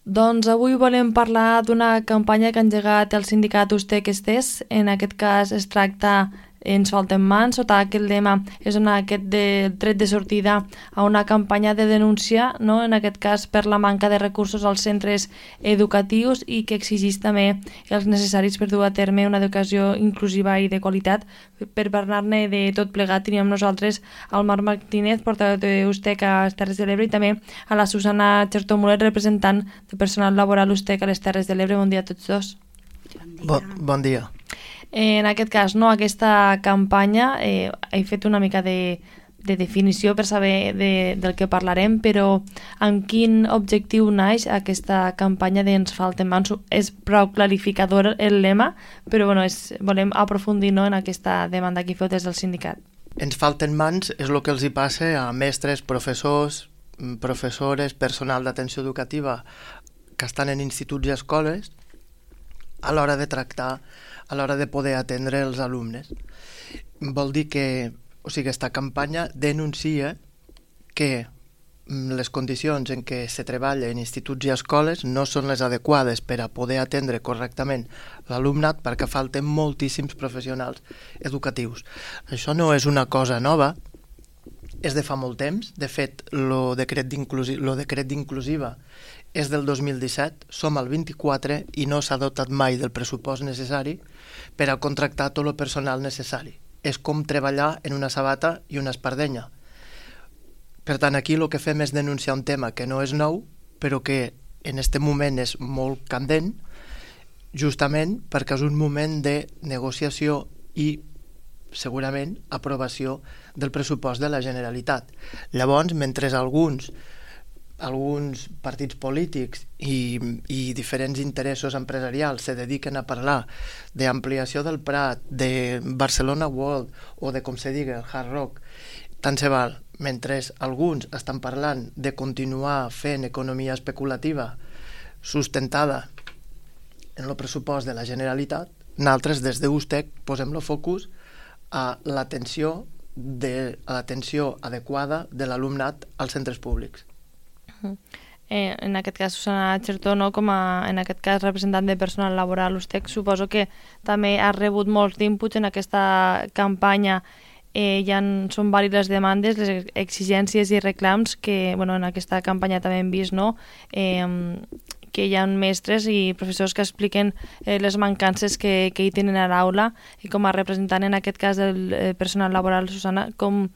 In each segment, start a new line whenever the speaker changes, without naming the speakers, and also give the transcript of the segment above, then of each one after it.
Doncs avui volem parlar d'una campanya que ha engegat el sindicat Ustec Estés. En aquest cas es tracta Ens falten mans. Sota aquest lema és donar aquest tret de sortida a una campanya de denúncia, no? En aquest cas per la manca de recursos als centres educatius i que exigeix també els necessaris per dur a terme una educació inclusiva i de qualitat. Per parlar-ne de tot plegat teníem nosaltres al Marc Martínez, portaveu d'Ustec a les Terres de l'Ebre, i també a la Susana Chertomulet, representant de personal laboral Ustec a les Terres de l'Ebre. Bon dia a tots dos.
Bon dia.
En aquest cas, no, aquesta campanya, he fet una mica de definició per saber del que parlarem, però amb quin objectiu naix aquesta campanya d'Ens falten mans? És prou clarificador el lema, però bueno, volem aprofundir, no, en aquesta demanda que feu des del sindicat.
Ens falten mans és el que els hi passa a mestres, professors, professores, personal d'atenció educativa que estan en instituts i escoles a l'hora de tractar, a l'hora de poder atendre els alumnes. Vol dir que, aquesta campanya denuncia que les condicions en què se treballa en instituts i escoles no són les adequades per a poder atendre correctament l'alumnat, perquè falten moltíssims professionals educatius. Això no és una cosa nova, és de fa molt temps. De fet, el decret d'inclusiva és del 2017, som al 24 i no s'ha dotat mai del pressupost necessari per a contractar tot el personal necessari. És com treballar en una sabata i una espardenya. Per tant, aquí el que fem és denunciar un tema que no és nou, però que en aquest moment és molt candent, justament perquè és un moment de negociació i segurament aprovació del pressupost de la Generalitat. Llavors, mentre alguns partits polítics i diferents interessos empresarials se dediquen a parlar d'ampliació del Prat, de Barcelona World o de com se digui el Hard Rock, tant se val. Mentre alguns estan parlant de continuar fent economia especulativa sustentada en el pressupost de la Generalitat, nosaltres des d'Ustec posem el focus a l'atenció adequada de l'alumnat als centres públics.
En aquest cas, Susana Chertó, no? En aquest cas representant de personal laboral Ustec, suposo que també ha rebut molts d'inputs en aquesta campanya. Són vàlides les demandes, les exigències i reclams que en aquesta campanya també hem vist, no? Que hi ha mestres i professors que expliquen les mancances que hi tenen a l'aula, i com a representant en aquest cas del personal laboral, Susana, com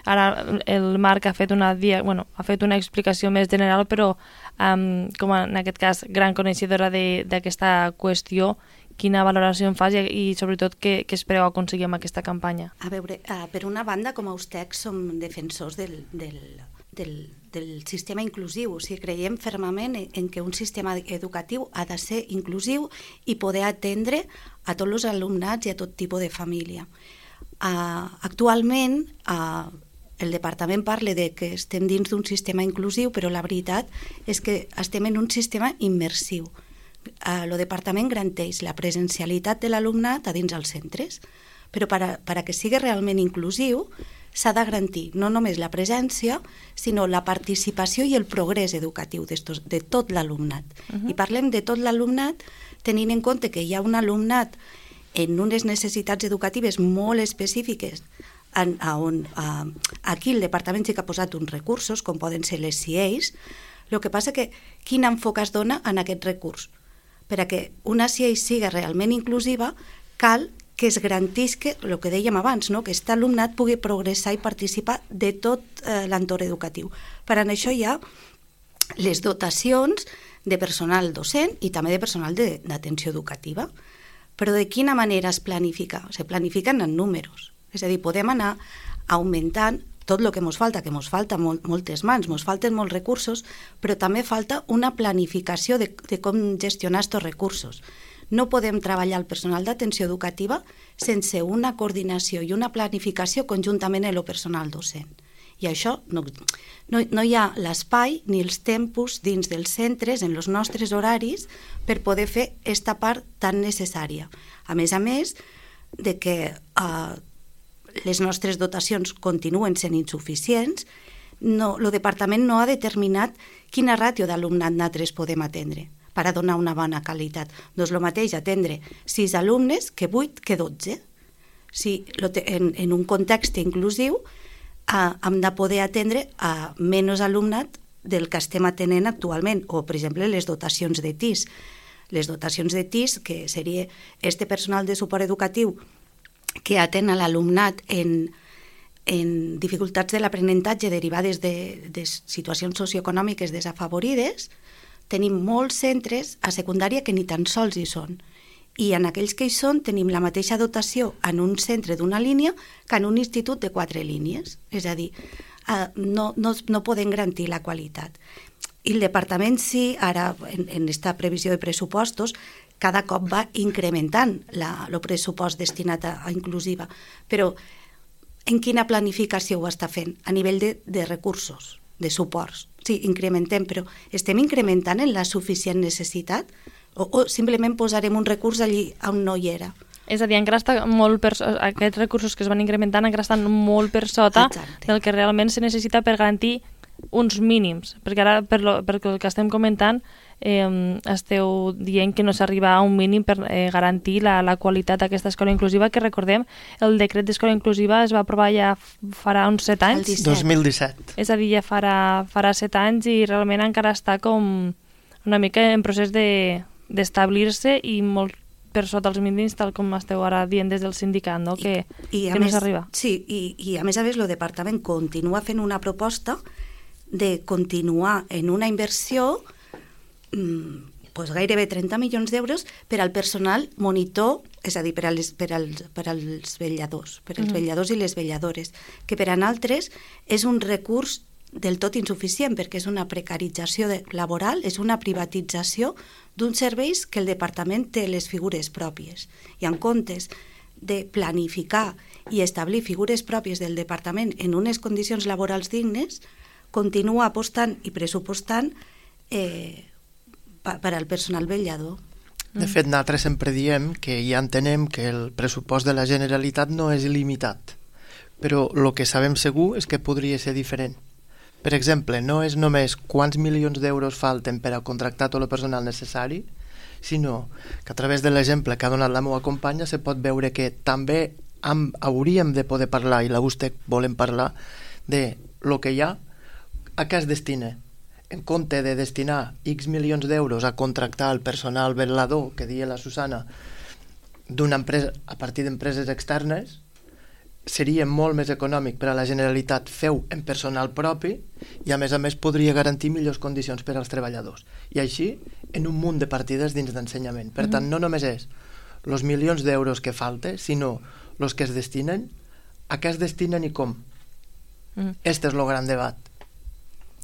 ara el Marc ha fet una explicació més general, però com en aquest cas gran coneixedora d'aquesta qüestió, quina valoració en fas i sobretot què espereu aconseguir amb aquesta campanya?
A veure, per una banda, com a Ustec som defensors del sistema inclusiu, o sigui, creiem fermament en que un sistema educatiu ha de ser inclusiu i poder atendre a tots els alumnats i a tot tipus de família. Actualment, el departament parla de que estem dins d'un sistema inclusiu, però la veritat és que estem en un sistema immersiu. El departament garanteix la presencialitat de l'alumnat a dins els centres, però per a que sigui realment inclusiu s'ha de garantir no només la presència, sinó la participació i el progrés educatiu de tot l'alumnat. I parlem de tot l'alumnat tenint en compte que hi ha un alumnat en unes necessitats educatives molt específiques on aquí el departament sí que ha posat uns recursos, com poden ser les CIEs. El que passa que quin enfocament es dona en aquest recurs? Per a que una CIE sigui realment inclusiva, cal que es garantisca el que dèiem abans, no? Que aquest alumnat pugui progressar i participar de tot l'entorn educatiu. Per a això hi ha les dotacions de personal docent i també de personal d'atenció educativa. Però de quina manera es planifica? Se planifiquen en números. És a dir, podem anar augmentant tot el que ens falta, que ens falta moltes mans, ens falten molts recursos, però també falta una planificació de com gestionar aquests recursos. No podem treballar el personal d'atenció educativa sense una coordinació i una planificació conjuntament amb el personal docent. I això no hi ha l'espai ni els tempos dins dels centres, en els nostres horaris, per poder fer aquesta part tan necessària. A més de que les nostres dotacions continuen sent insuficients, el departament no ha determinat quina ràtio d'alumnat nosaltres podem atendre per a donar una bona qualitat. Doncs el mateix atendre 6 alumnes que 8 que 12. Si en un context inclusiu hem de poder atendre a menys alumnat del que estem atenent actualment, o per exemple les dotacions de TIS. Les dotacions de TIS, que seria este personal de suport educatiu que atén a l'alumnat en dificultats de l'aprenentatge derivades de situacions socioeconòmiques desafavorides, tenim molts centres a secundària que ni tan sols hi són. I en aquells que hi són tenim la mateixa dotació en un centre d'una línia que en un institut de 4 línies. És a dir, no poden garantir la qualitat. I el departament sí, ara en aquesta previsió de pressupostos, cada cop va incrementant el pressupost destinat a inclusiva. Però en quina planificació ho està fent? A nivell de recursos, de suports. Sí, incrementem, però estem incrementant en la suficient necessitat? O simplement posarem un recurs allí on no hi era?
És a dir, encara està molt aquests recursos que es van incrementant encara estan molt per sota del que realment se necessita per garantir uns mínims, perquè ara perquè el que estem comentant esteu dient que no s'arriba a un mínim per garantir la qualitat d'aquesta escola inclusiva, que recordem, el decret d'escola inclusiva es va aprovar ja farà uns 7 anys.
2017.
És a dir, ja farà 7 anys i realment encara està com una mica en procés d'establir-se i molt per sota els mínims, tal com esteu ara dient des del sindicat, no? que no s'arriba.
Sí, i a més el departament continua fent una proposta de continuar en una inversió gairebé 30 milions d'euros per al personal monitor, és a dir, per als vetlladors, els vetlladors i les vetlladores, que per a nosaltres és un recurs del tot insuficient, perquè és una precarització laboral, és una privatització d'uns serveis que el departament té les figures pròpies. I en comptes de planificar i establir figures pròpies del departament en unes condicions laborals dignes, continua apostant i pressupostant per al personal vetllador.
De fet, nosaltres sempre diem que ja entenem que el pressupost de la Generalitat no és il·limitat, però el que sabem segur és que podria ser diferent. Per exemple, no és només quants milions d'euros falten per a contractar tot el personal necessari, sinó que a través de l'exemple que ha donat la meva companya se pot veure que també hauríem de poder parlar, i la USTEC volem parlar, de lo que hi ha, a què es destina. En compte de destinar X milions d'euros a contractar el personal vetllador, que deia la Susana, d'una empresa a partir d'empreses externes, seria molt més econòmic per a la Generalitat fer-ho en personal propi i a més podria garantir millors condicions per als treballadors. I així en un munt de partides dins d'ensenyament. Per tant, no només és els milions d'euros que falta, sinó els que es destinen, a què es destinen i com. Este és el gran debat.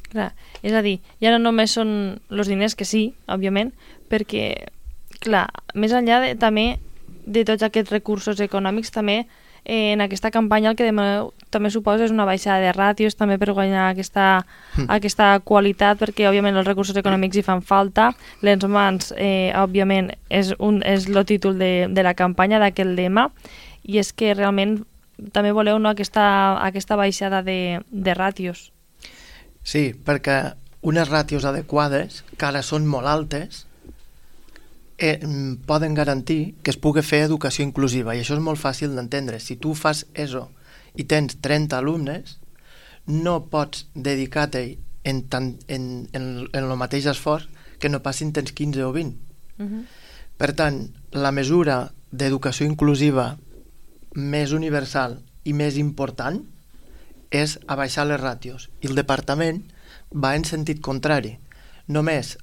Clar, és a dir, ja no només són els diners, que sí, òbviament, perquè, clar, més enllà també de tots aquests recursos econòmics, també en aquesta campanya el que també suposa és una baixada de ràtios també per guanyar aquesta qualitat, perquè òbviament els recursos econòmics hi fan falta. Les mans, òbviament, és el títol de la campanya d'aquest lema, i és que realment també voleu aquesta baixada de ràtios.
Sí, perquè unes ràtios adequades, que ara són molt altes, poden garantir que es pugui fer educació inclusiva, i això és molt fàcil d'entendre. Si tu fas ESO i tens 30 alumnes, no pots dedicar-te en el mateix esforç que no passin tens 15 o 20. Per tant, la mesura d'educació inclusiva més universal i més important és abaixar les ràtios, i el departament va en sentit contrari. Només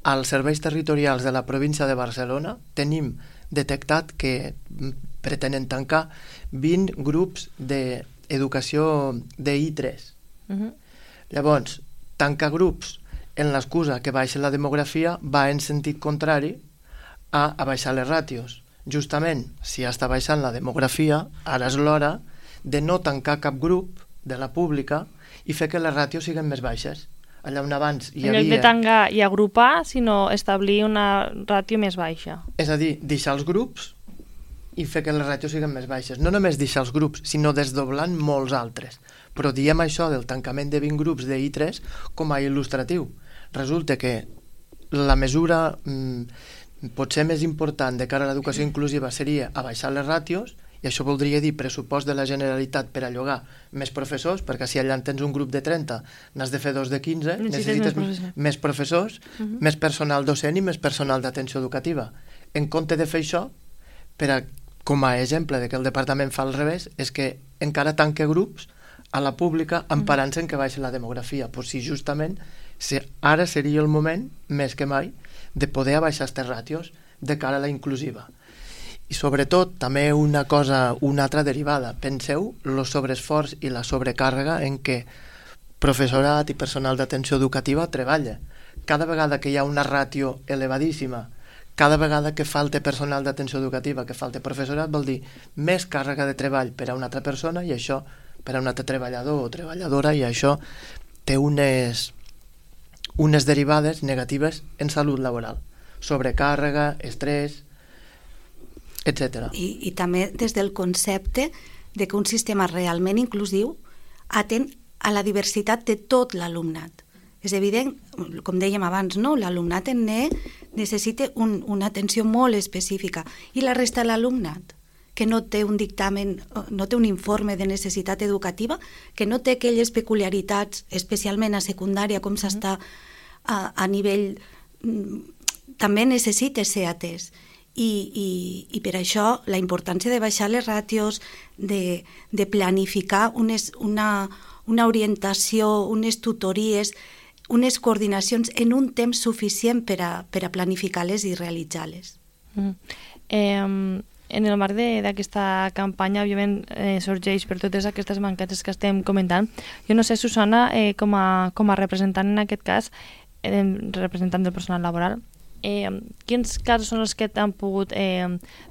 als serveis territorials de la província de Barcelona tenim detectat que pretenen tancar 20 grups d'educació de I3. Llavors, tancar grups en l'excusa que baixa la demografia va en sentit contrari a baixar les ràtios. Justament, si està baixant la demografia, ara és l'hora de no tancar cap grup de la pública i fer que les ràtios siguin més baixes. Allà on abans hi havia...
En lloc de tancar i agrupar, sinó establir una ràtio més baixa.
És a dir, deixar els grups i fer que les ràtios siguin més baixes. No només deixar els grups, sinó desdoblant molts altres. Però diem això del tancament de 20 grups de I3 com a il·lustratiu. Resulta que la mesura potser més important de cara a l'educació inclusiva seria abaixar les ràtios, i això voldria dir pressupost de la Generalitat per a llogar més professors, perquè si allà en tens un grup de 30 n'has de fer 2 de 15, necessites més professors, més personal docent i més personal d'atenció educativa. En compte de fer això, com a exemple de que el departament fa al revés, és que encara tanca grups a la pública emparant-se en que baixa la demografia. Pues si justament ara seria el moment, més que mai, de poder abaixar aquestes ràtios de cara a la inclusiva. I sobretot, també una altra derivada. Penseu el sobreesforç i la sobrecàrrega en què professorat i personal d'atenció educativa treballa. Cada vegada que hi ha una ràtio elevadíssima, cada vegada que falta personal d'atenció educativa, que falta professorat, vol dir més càrrega de treball per a una altra persona i això per a un altre treballador o treballadora, i això té unes derivades negatives en salut laboral. Sobrecàrrega, estrès, etc.
I també des del concepte de que un sistema realment inclusiu atén a la diversitat de tot l'alumnat. És evident, com dèiem abans, no? L'alumnat en NE necessita una atenció molt específica, i la resta de l'alumnat, que no té un dictamen, no té un informe de necessitat educativa, que no té aquelles peculiaritats, especialment a secundària, com s'està a nivell, també necessita ser atès. I per això la importància de baixar les ràtios, de planificar una orientació, unes tutories, unes coordinacions en un temps suficient per a planificar-les i realitzar-les.
En el marc d'aquesta campanya, òbviament, sorgeix per totes aquestes mancances que estem comentant. Jo no sé, Susana, com a representant en aquest cas, representant del personal laboral, quins casos són els que t'han pogut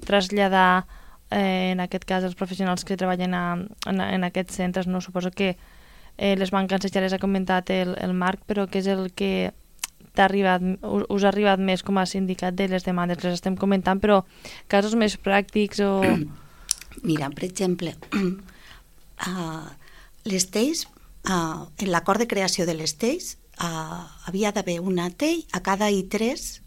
traslladar en aquest cas els professionals que treballen en aquests centres? No, suposo que les mancances ja les ha comentat el Marc, però què és el que us ha arribat més com a sindicat de les demandes? Les estem comentant, però casos més pràctics o...
Mira, per exemple, les TEIs, en l'acord de creació de les TEIs, havia d'haver una TEI a cada I3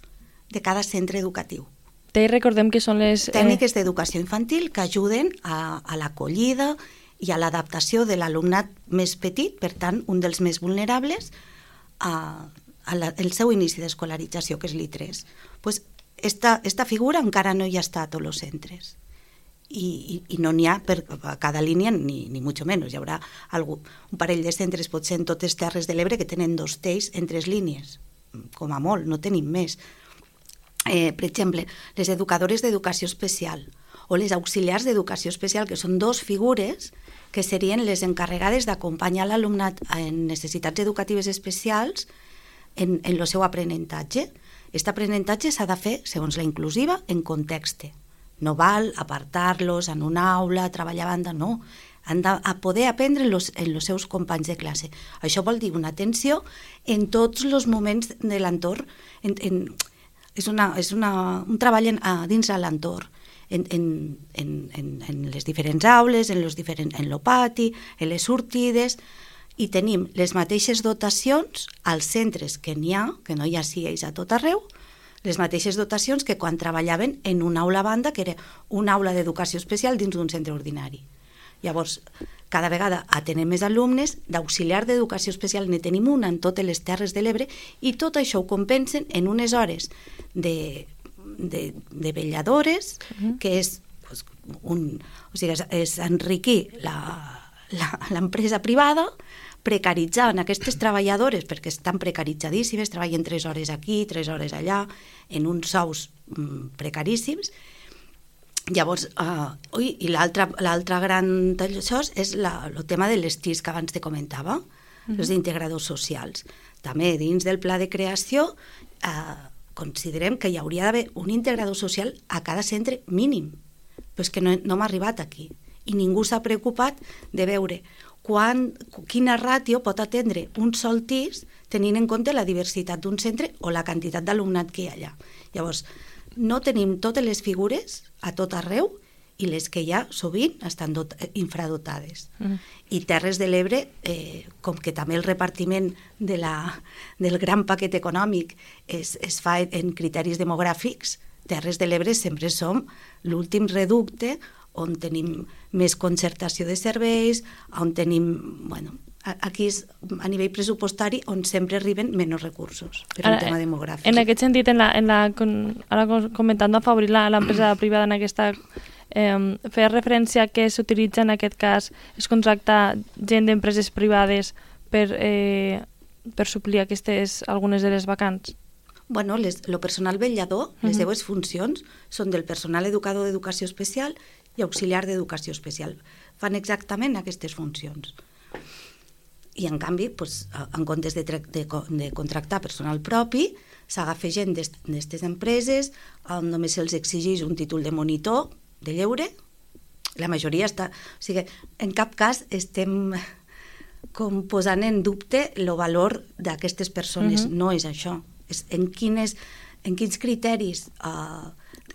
de cada centre educatiu.
TEI, recordem que són les...
Tècniques d'educació infantil que ajuden a l'acollida i a l'adaptació de l'alumnat més petit, per tant, un dels més vulnerables, el seu inici d'escolarització, que és l'I3. Pues esta figura encara no hi ha estat a tots els centres. I no n'hi ha per a cada línia, ni mucho menos. Hi haurà un parell de centres, potser en totes Terres de l'Ebre, que tenen 2 TEIs en 3 línies. Com a molt, no tenim més. Per exemple, les educadores d'educació especial o les auxiliars d'educació especial, que són 2 figures que serien les encarregades d'acompanyar l'alumnat en necessitats educatives especials en el seu aprenentatge. Aquest aprenentatge s'ha de fer, segons la inclusiva, en context. No val apartar-los en una aula, treballar a banda, no. Han de poder aprendre en els seus companys de classe. Això vol dir una atenció en tots els moments de l'entorn. És un treball dins de l'entorn, en les diferents aules, en el pati, en les sortides, i tenim les mateixes dotacions als centres que n'hi ha, que no hi ha CIEs a tot arreu, les mateixes dotacions que quan treballaven en una aula a banda, que era una aula d'educació especial dins d'un centre ordinari. Llavors, cada vegada atenem més alumnes, d'auxiliar d'educació especial ne tenim una en totes les Terres de l'Ebre, i tot això ho compensen en unes hores de vetlladores, que és enriquir l'empresa privada, precaritzant aquestes treballadores, perquè estan precaritzadíssimes, treballen 3 hores aquí, 3 hores allà, en uns sous precaríssims. Llavors, i l'altre gran d'això és el tema de les TIs que abans te comentava, els integradors socials. També dins del pla de creació considerem que hi hauria d'haver un integrador social a cada centre mínim, però és que no hem arribat aquí, i ningú s'ha preocupat de veure quina ràtio pot atendre un sol TIS tenint en compte la diversitat d'un centre o la quantitat d'alumnat que hi ha allà. Llavors, no tenim totes les figures a tot arreu, i les que hi ha sovint estan infradotades. I Terres de l'Ebre, com que també el repartiment del gran paquet econòmic es fa en criteris demogràfics, Terres de l'Ebre sempre som l'últim reducte on tenim més concertació de serveis, on tenim... Bueno, aquí és a nivell pressupostari on sempre arriben menys recursos per un tema demogràfic.
En aquest sentit, ara comentant afavorir l'empresa privada en aquesta... fer referència que s'utilitza en aquest cas es contracta gent d'empreses privades per suplir algunes de les vacants?
Bueno, el personal vetllador, les seues funcions són del personal educador d'educació especial i auxiliar d'educació especial. Fan exactament aquestes funcions. I, en canvi, en comptes de contractar personal propi, s'agafa gent d'aquestes empreses on només se'ls exigeix un títol de monitor, de lleure. La majoria està... O sigui, en cap cas estem com posant en dubte el valor d'aquestes persones. No és això. És en quins criteris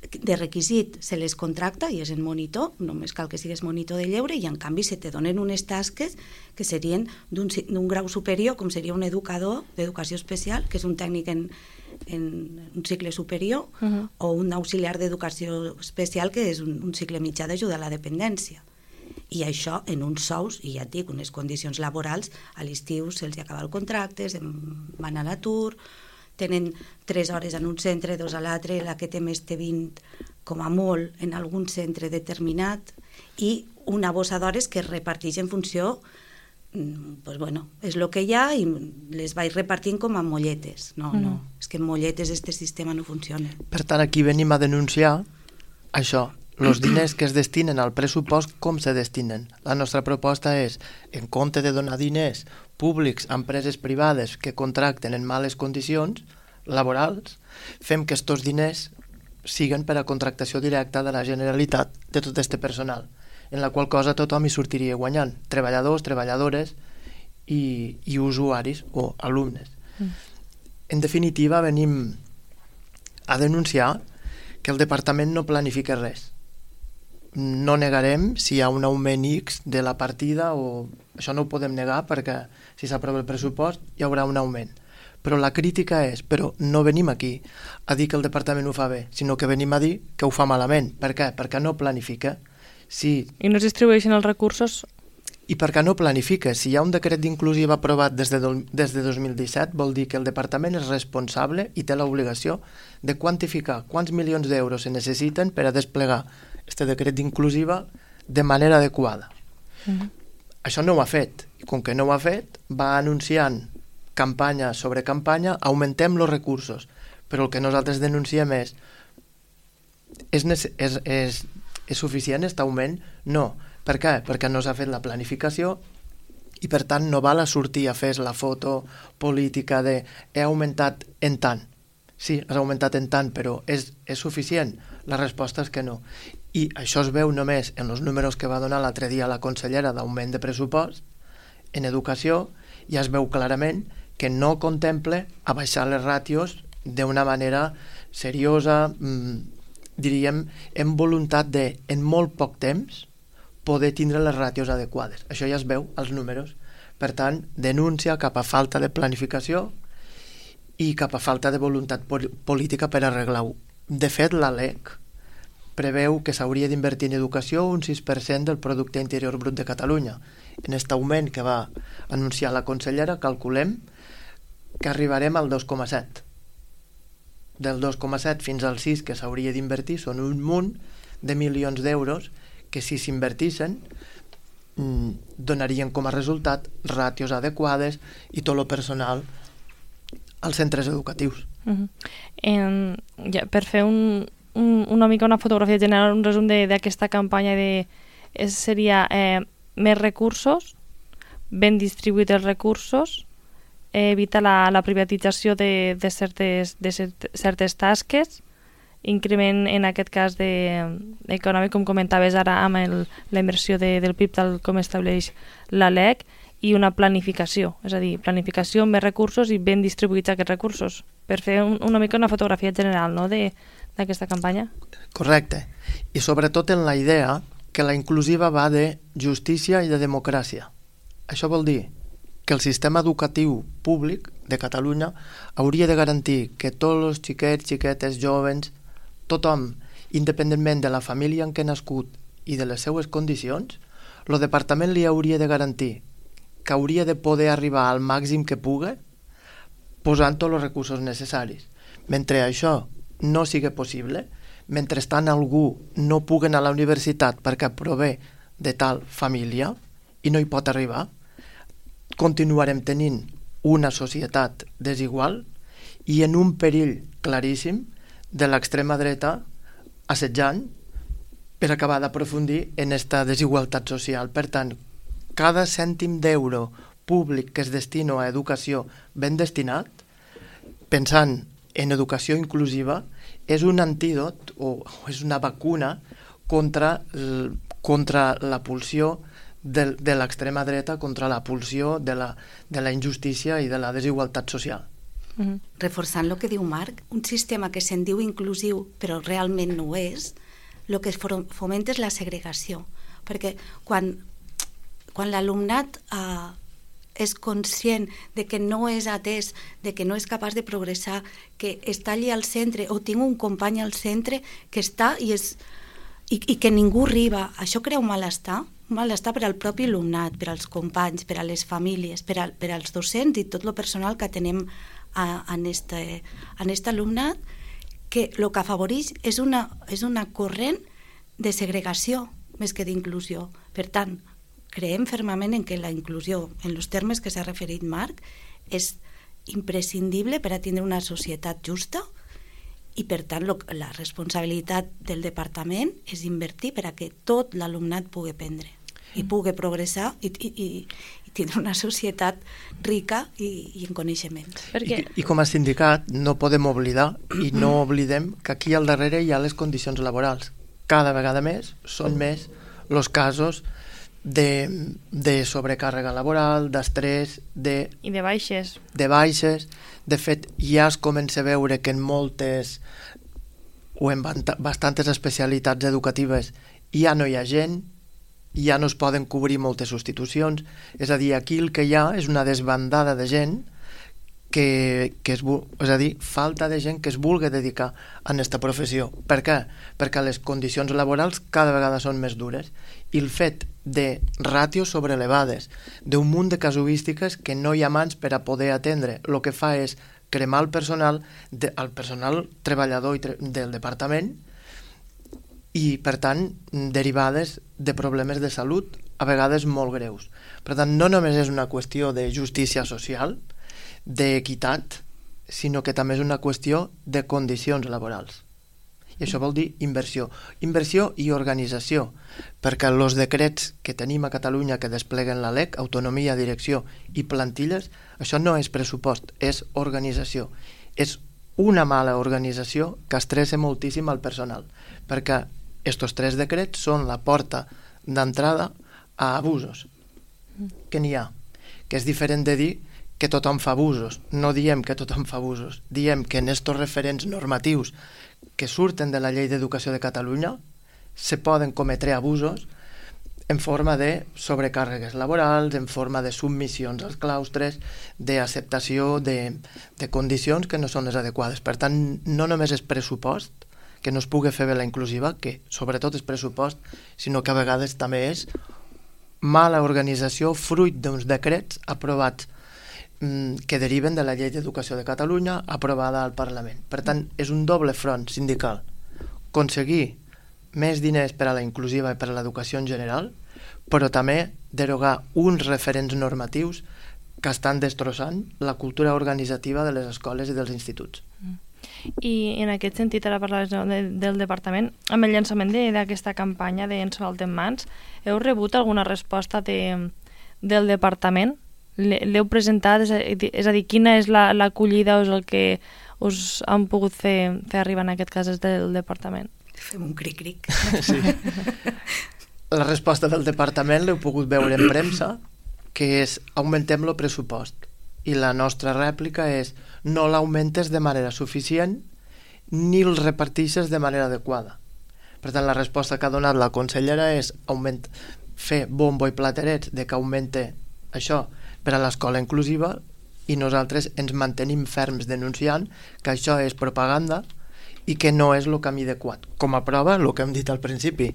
de requisit se les contracta i és en monitor, només cal que sigues monitor de lleure, i en canvi se te donen unes tasques que serien d'un grau superior, com seria un educador d'educació especial, que és un tècnic en un cicle superior, o un auxiliar d'educació especial, que és un cicle mitjà d'ajuda a la dependència. I això en uns sous, i ja et dic, unes condicions laborals, a l'estiu se'ls acaba el contracte, van a l'atur, tenen 3 hores en un centre, 2 a l'altre, la que té més té 20, com a molt, en algun centre determinat, i una bossa d'hores que es reparteix en funció, doncs bueno, és el que hi ha i les vaig repartint com a molletes. No, és que en molletes este sistema no funciona.
Per tant, aquí venim a denunciar això, els diners que es destinen al pressupost, com se destinen. La nostra proposta és, en compte de donar diners públics a empreses privades que contracten en males condicions laborals, fem que aquests diners siguen per a contractació directa de la Generalitat de tot aquest personal, en la qual cosa tothom hi sortiria guanyant, treballadors, treballadores i usuaris o alumnes. En definitiva, venim a denunciar que el departament no planifica res. No negarem si hi ha un augment X de la partida, o això no ho podem negar perquè si s'aprova el pressupost hi haurà un augment. Però la crítica és, però no venim aquí a dir que el departament ho fa bé, sinó que venim a dir que ho fa malament. Per què? Perquè no planifica.
I no es distribueixen els recursos?
I perquè no planifica. Si hi ha un decret d'inclusiva aprovat des de 2017, vol dir que el departament és responsable i té l'obligació de quantificar quants milions d'euros se necessiten per a desplegar aquest decret d'inclusiva de manera adequada. Això no ho ha fet. I com que no ho ha fet, va anunciant campanya sobre campanya, augmentem els recursos. Però el que nosaltres denunciem és suficient aquest augment? No. Per què? Perquè no s'ha fet la planificació i per tant no val a sortir a fer la foto política de he augmentat en tant. Sí, has augmentat en tant, però és suficient? La resposta és que no. I això es veu només en els números que va donar l'altre dia la consellera d'augment de pressupost en educació, ja es veu clarament que no contempla abaixar les ràtios d'una manera seriosa, diríem, en voluntat de, en molt poc temps, poder tindre les ràtios adequades. Això ja es veu als números. Per tant, denúncia cap a falta de planificació i cap a falta de voluntat política per arreglar-ho. De fet, la LEC preveu que s'hauria d'invertir en educació un 6% del producte interior brut de Catalunya. En aquest augment que va anunciar la consellera, calculem que arribarem al 2,7. Del 2,7 fins al 6 que s'hauria d'invertir són un munt de milions d'euros que si s'invertissin donarien com a resultat ràtios adequades i tot el personal als centres educatius.
Per fer una mica una fotografia general, un resum d'aquesta campanya seria més recursos, ben distribuïts els recursos, evitar la privatització de certes tasques, increment en aquest cas econòmic, com comentaves ara amb la inversió del PIB tal com estableix la LEC, i una planificació, és a dir, planificació amb més recursos i ben distribuïts aquests recursos, per fer una mica una fotografia general, no?, de d'aquesta campanya?
Correcte. I sobretot en la idea que la inclusiva va de justícia i de democràcia. Això vol dir que el sistema educatiu públic de Catalunya hauria de garantir que tots els xiquets, xiquetes, jovens, tothom, independentment de la família en què ha nascut i de les seues condicions, el departament li hauria de garantir que hauria de poder arribar al màxim que pugui posant tots els recursos necessaris. Mentre això no sigui possible, mentrestant algú no pugui anar a la universitat perquè prové de tal família i no hi pot arribar, continuarem tenint una societat desigual i en un perill claríssim de l'extrema dreta assetjant per acabar d'aprofundir en aquesta desigualtat social. Per tant, cada cèntim d'euro públic que es destina a educació ben destinat, pensant en educació inclusiva, és un antídot o és una vacuna contra la pulsió de l'extrema dreta, contra la pulsió de la injustícia i de la desigualtat social.
Reforçant el que diu Marc, un sistema que se'n diu inclusiu però realment no ho és, el que fomenta és la segregació, perquè quan l'alumnat és conscient de que no és atès, de que no és capaç de progressar, que està allí al centre o tinc un company al centre que està i que ningú arriba, això crea un malestar per al propi alumnat, per als companys, per a les famílies, per als docents i tot el personal que tenim en aquest alumnat, que el que afavoreix és una corrent de segregació més que d'inclusió. Per tant, creiem fermament en que la inclusió, en els termes que s'ha referit Marc, és imprescindible per a tindre una societat justa i, per tant, la responsabilitat del departament és invertir per a que tot l'alumnat pugui aprendre i pugui progressar i tindre una societat rica i en coneixements.
I com a sindicat no podem oblidar i no oblidem que aquí al darrere hi ha les condicions laborals. Cada vegada més són més els casos de sobrecàrrega laboral, d'estrès,
i de baixes.
De fet, ja es comença a veure que en moltes o en bastantes especialitats educatives ja no hi ha gent, ja no es poden cobrir moltes substitucions, és a dir, aquí el que hi ha és una desbandada de gent és a dir, falta de gent que es vulgui dedicar a aquesta professió. Per què? Perquè les condicions laborals cada vegada són més dures i el fet de ràtios sobreelevades, d'un munt de casuístiques que no hi ha mans per a poder atendre, el que fa és cremar el personal treballador del departament i, per tant, derivades de problemes de salut, a vegades molt greus. Per tant, no només és una qüestió de justícia social, d'equitat, sinó que també és una qüestió de condicions laborals. I això vol dir inversió i organització, perquè els decrets que tenim a Catalunya que despleguen la LEC, autonomia, direcció i plantilles, això no és pressupost, és organització. És una mala organització que estressa moltíssim al personal, perquè estos 3 decrets són la porta d'entrada a abusos, que n'hi ha, que és diferent de dir que tothom fa abusos. No diem que tothom fa abusos, diem que en estos referents normatius que surten de la Llei d'Educació de Catalunya se poden cometre abusos en forma de sobrecàrregues laborals, en forma de submissions als claustres, d'acceptació de condicions que no són les adequades. Per tant, no només és pressupost, que no es pugui fer bé la inclusiva, que sobretot és pressupost, sinó que a vegades també és mala organització fruit d'uns decrets aprovats que deriven de la Llei d'Educació de Catalunya aprovada al Parlament. Per tant, és un doble front sindical. Aconseguir més diners per a la inclusiva i per a l'educació en general, però també derogar uns referents normatius que estan destrossant la cultura organitzativa de les escoles i dels instituts.
I en aquest sentit, ara parlaves del departament, amb el llançament d'aquesta campanya d'Ens falten mans, heu rebut alguna resposta del departament? L'heu presentat? És a dir, quina és l'acollida o és el que us han pogut fer arribar en aquest cas des del departament?
Fem un cric-cric.
Sí. La resposta del departament l'heu pogut veure en premsa, que és augmentem el pressupost. I la nostra rèplica és no l'augmentes de manera suficient ni els reparteixes de manera adequada. Per tant, la resposta que ha donat la consellera és fer bombo i platerets de que augmente això per a l'escola inclusiva, i nosaltres ens mantenim ferms denunciant que això és propaganda i que no és el camí adequat. Com a prova, el que hem dit al principi,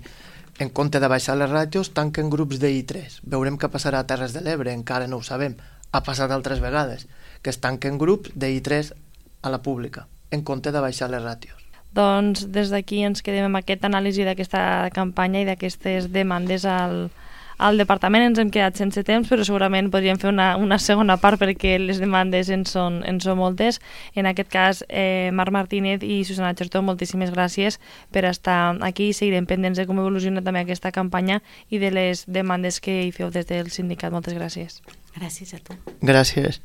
en compte de baixar les ràtios, tanquen grups de I3. Veurem què passarà a Terres de l'Ebre, encara no ho sabem. Ha passat altres vegades, que es tanquen grups de I3 a la pública, en compte de baixar les ràtios.
Doncs des d'aquí ens quedem amb aquesta anàlisi d'aquesta campanya i d'aquestes demandes al departament. Ens hem quedat sense temps, però segurament podríem fer una segona part perquè les demandes en són moltes. En aquest cas, Marc Martínez i Susana Chertó, moltíssimes gràcies per estar aquí. Seguirem pendents de com evoluciona també aquesta campanya i de les demandes que hi feu des del sindicat. Moltes gràcies.
Gràcies a tu.
Gràcies.